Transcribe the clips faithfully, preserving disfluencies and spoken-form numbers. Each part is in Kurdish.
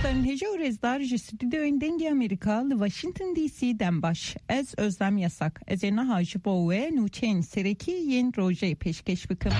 Hêja û rêzdar ji stûdyoyên Dengê Amerîka li Washington D C dem baş. Ez Özlem Yasak. Ez ê niha ji bo we nûçeyên serekî yên rojê pêşkêş bikim.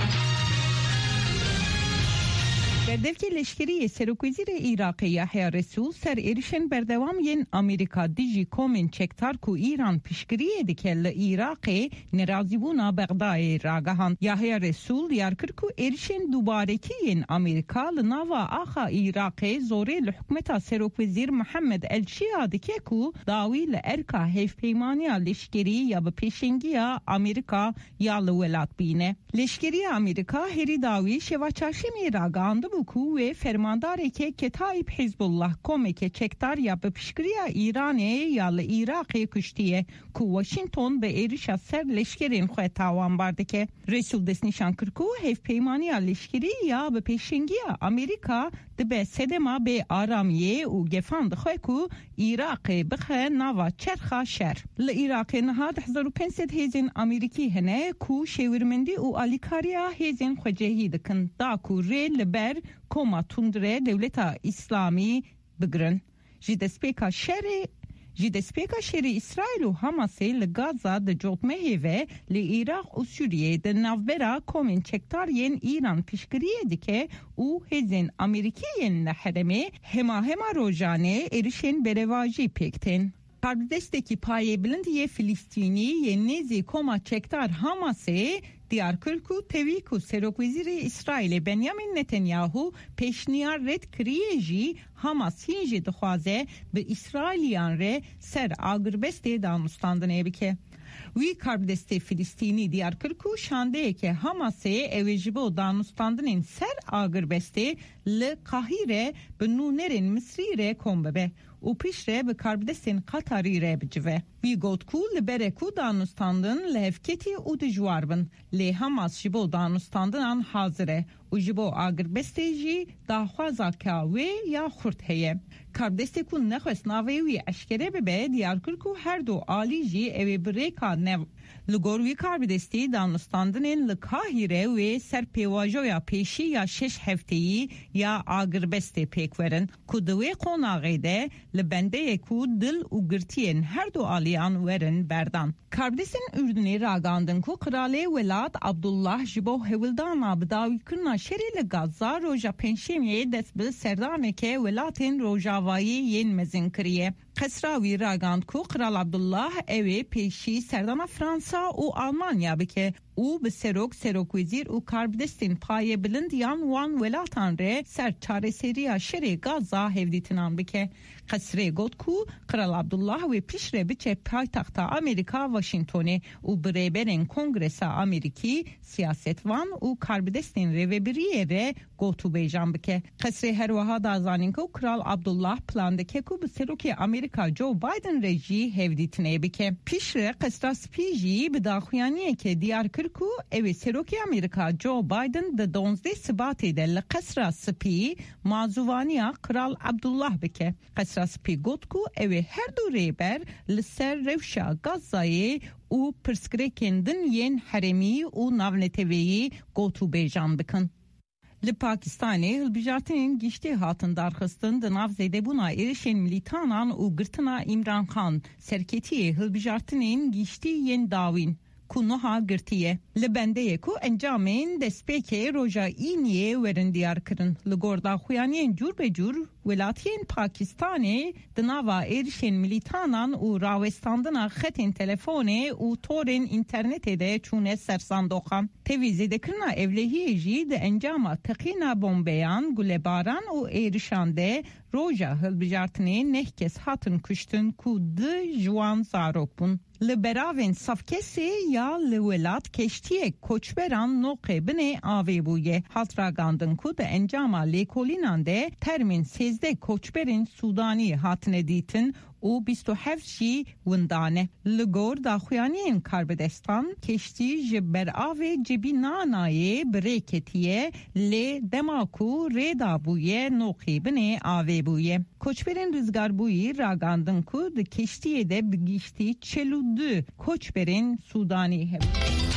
Berdevkê leşkerî yê Serokwezîrê Iraqê Yahya Resûl ser êrişên berdewam yên Amerîka dijî komên çekdar ku Îran piştgiriyê dike li Iraqê nerazîbûna Bexdayê ragihand. Yahya Resûl diyar kir ku êrişên dubarekî yên Amerîka li nava axa Iraqê zorê li hikûmeta Serokwezîr Mihemed El Şia dike ku dawî li erka hevpeymaniya leşkerî ya bi pêşengiya Amerîka ya li welat bîne. Leşkeriya Amerîka herî dawî şeva çarşemê ragihandibû ku wê fermandareke Ketayîb Hizbullah, komeke çekdar ya bi piştgiriya Îranê ya li Iraqê kuştiye, ku Washington bi êrişa ser leşkerên xwe tawanbar dike. Resûl destnîşan kir ku hevpeymaniya leşkerî ya bi pêşengiya Amerîka dibe sedema bê aramiyê û gefan dixwe ku Iraqê bixe nava çerxa şer. Li Iraqê niha du hezar û pênc sed hêzên Amerîkî hene ku şêwirmendî û alîkariya hêzên xwecihî dikin, da ku rê li ber koma tundre Dewleta Îslamî bigirin. Ji destpêka şerê, ji destpêka şerê Îsraîl û Hamasê li Gaza di cotmehê ve li Iraq û Sûriyê di navbera komên çekdar yên Îran piştgiriyê dike û hêzên Amerîkî yên li herêmê hema hema rojanê êrişên berevajî pêk tên. Karbidestekî payê bilind yê Filistînî yê nêzî koma çekdar Hamasê diyar kir ku tevî ku Serokwezîrê Îsraîlê Benyamin Netanyahu pêşniyar red kiriye jî, Hamas hîn jî dixwaze bi Îsraîliyan re ser agirbestê danûstandinê bike. Wî karbidestê Filistînî diyar kir ku şandeyeke Hamasê ew ê ji bo danûstandinên ser agirbestê li Qahîre bi nûnerên Misrî re kom bibe û piştre bi karbidestên Qatarî re bicive. Wî got ku li ber e ku danûstandin lihevketî û dijwar bin, lê Hamas ji bo danûstandinan hazir e û ji bo agirbestê jî daxwazaka wê ya xurt heye. Karbidestê ku nexwest navê wî eşkere bibe, diyar kir ku her du alî jî ew ê bi rêka nev. Li gor wî karbidestî, danûstandinên li Kahîre wê ser pêvajoya pêşî ya şeş hefteyî ya agirbestê pêk werin, ku di wê qonaxê de li bendê ye ku dil û girtiyên her du aliyan werin berdan. Karbidestên Urdunê ragandin ku Qiralê Welat Abdullah ji bo hewldana bi dawîkirina şerê li Gaza roja Pêncşemiyê dest bi serdaneke welatên rojavayî yên mezin kiriye. Qesra wî ragand ku Qral Abdullah ew ê pêşî serdana Fransa û Almanya bike û bi serok, serokwezîr û karbidestên payebilind yan wan welatan re ser çareseriya şerê Gaza hevdîtinan bike. Qesrê got ku Qral Abdullah wê piştre biçe paytexta Amerîka Washingtonê û bi rêberên Kongresa Amerîkî, siyasetvan û karbidestên rêvebiriyê re gotûbêjan bike. Qesrê her wiha da zanîn ku Kral Abdullah plan dike ku bi Serokê Amerîka Joe Biden re jî hevdîtinê bike. Piştre Qesra Spî jî bi daxuyaniyeke diyar kir ku ew ê Serokê Amerîka Joe Biden di duwazdeh Sibatê de li Qesra Spî mazûvaniya Kral Abdullah bike. Qesra Spî got ku ew ê her du rêber li ser rewşa Gazayê û pirsgirêkên din yên herêmî û navneteweyî gotûbêjan bikin. Li Pakistanê hilbijartinên giştî hatin darxistin di nav zêdebûna êrişên milîtanan û girtina Îmran Xan, serketiyê hilbijartinên giştî yên dawîn ku niha girtî ye. Li bendê ye ku encamên destpêkê roja Îniyê werin diyar kirin. Li gor daxuyaniyên cûr be cûr, welatiyên Pakistanê di nava êrişên milîtanan û rawestandina xetên telefonê û torên înternetê de çûne ser sandoqan. Tevî zêdekirina ewlehiyê jî di encama teqîna bombeyan, gulebaran û êrişan de roja hilbijartinê neh kes hatin kuştin ku du ji wan zarok bûn. Li beravên sed kesê ya li welat keştiyek koçberan noqê binê avê bûye. Hat ragandin ku di encama lêkolînan de termên sêzdeh koçberên Sûdanî hatine dîtin û bîst û heft jî winda ne. Li gor daxuyaniyên karbidestan, keştî ji beravê Cebînanayê bi rê ketiye, lê dema ku rê dabûye, noqî binê avê bûye. Koçberên rizgarbûyî ragandin ku di keştiyê de bi giştî çil û du koçberên Sûdanî hebûn.